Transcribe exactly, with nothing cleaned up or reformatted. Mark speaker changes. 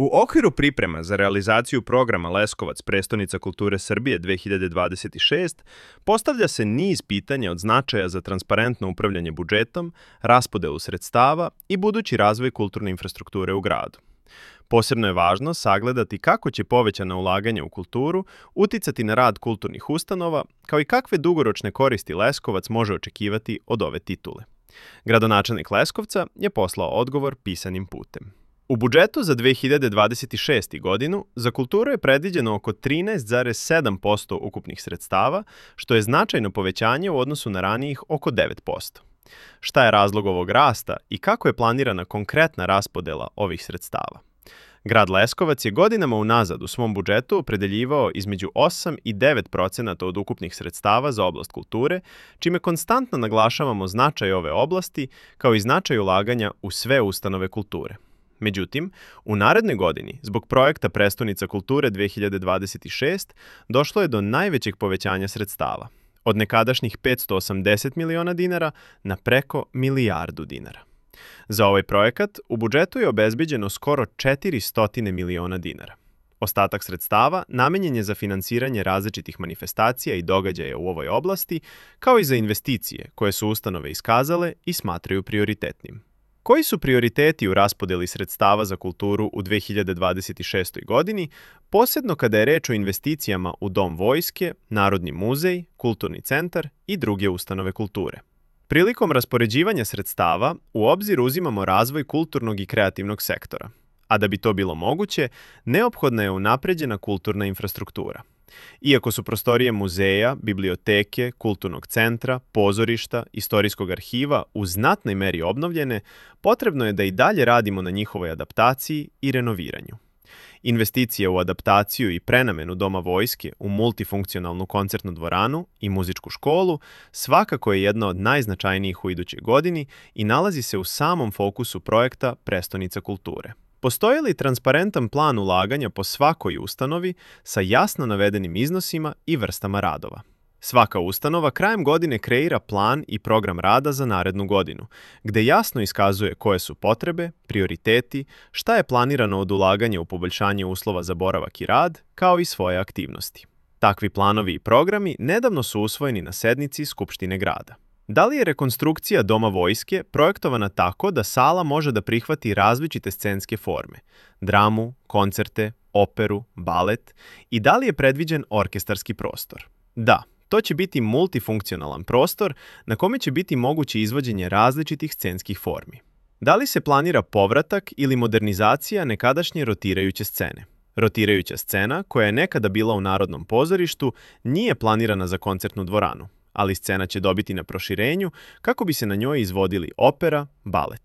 Speaker 1: U okviru priprema za realizaciju programa Leskovac prestonica kulture Srbije dve hiljade dvadeset šest postavlja se niz pitanja od značaja za transparentno upravljanje budžetom, raspodelu sredstava i budući razvoj kulturne infrastrukture u gradu. Posebno je važno sagledati kako će povećana ulaganja u kulturu uticati na rad kulturnih ustanova, kao i kakve dugoročne koristi Leskovac može očekivati od ove titule. Gradonačelnik Leskovca je poslao odgovor pisanim putem. U budžetu za dve hiljade dvadeset šestu. godinu za kulturu je predviđeno oko trinaest zarez sedam posto ukupnih sredstava, što je značajno povećanje u odnosu na ranijih oko devet posto. Šta je razlog ovog rasta i kako je planirana konkretna raspodela ovih sredstava? Grad Leskovac je godinama unazad u svom budžetu opredeljivao između osam i devet procenata od ukupnih sredstava za oblast kulture, čime konstantno naglašavamo značaj ove oblasti kao i značaj ulaganja u sve ustanove kulture. Međutim, u narednoj godini, zbog projekta Prestonica kulture dve hiljade dvadeset šeste. došlo je do najvećeg povećanja sredstava, od nekadašnjih petsto osamdeset miliona dinara na preko milijardu dinara. Za ovaj projekat u budžetu je obezbeđeno skoro četiristo miliona dinara. Ostatak sredstava namenjen je za finansiranje različitih manifestacija i događaja u ovoj oblasti, kao i za investicije koje su ustanove iskazale i smatraju prioritetnim. Koji su prioriteti u raspodeli sredstava za kulturu u dve hiljade dvadeset šestoj. godini, posebno kada je reč o investicijama u Dom vojske, Narodni muzej, Kulturni centar i druge ustanove kulture? Prilikom raspoređivanja sredstava u obzir uzimamo razvoj kulturnog i kreativnog sektora, a da bi to bilo moguće, neophodna je unapređena kulturna infrastruktura. Iako su prostorije muzeja, biblioteke, kulturnog centra, pozorišta, istorijskog arhiva u znatnoj meri obnovljene, potrebno je da i dalje radimo na njihovoj adaptaciji i renoviranju. Investicije u adaptaciju i prenamenu Doma vojske u multifunkcionalnu koncertnu dvoranu i muzičku školu svakako je jedna od najznačajnijih u idućoj godini i nalazi se u samom fokusu projekta Prestonica kulture. Postoji li transparentan plan ulaganja po svakoj ustanovi sa jasno navedenim iznosima i vrstama radova? Svaka ustanova krajem godine kreira plan i program rada za narednu godinu, gde jasno iskazuje koje su potrebe, prioriteti, šta je planirano od ulaganja u poboljšanje uslova za boravak i rad, kao i svoje aktivnosti. Takvi planovi i programi nedavno su usvojeni na sednici Skupštine grada. Da li je rekonstrukcija Doma vojske projektovana tako da sala može da prihvati različite scenske forme, dramu, koncerte, operu, balet, i da li je predviđen orkestarski prostor? Da, to će biti multifunkcionalan prostor na kome će biti moguće izvođenje različitih scenskih formi. Da li se planira povratak ili modernizacija nekadašnje rotirajuće scene? Rotirajuća scena, koja je nekada bila u Narodnom pozorištu, nije planirana za koncertnu dvoranu, ali scena će dobiti na proširenju kako bi se na njoj izvodili opera, balet.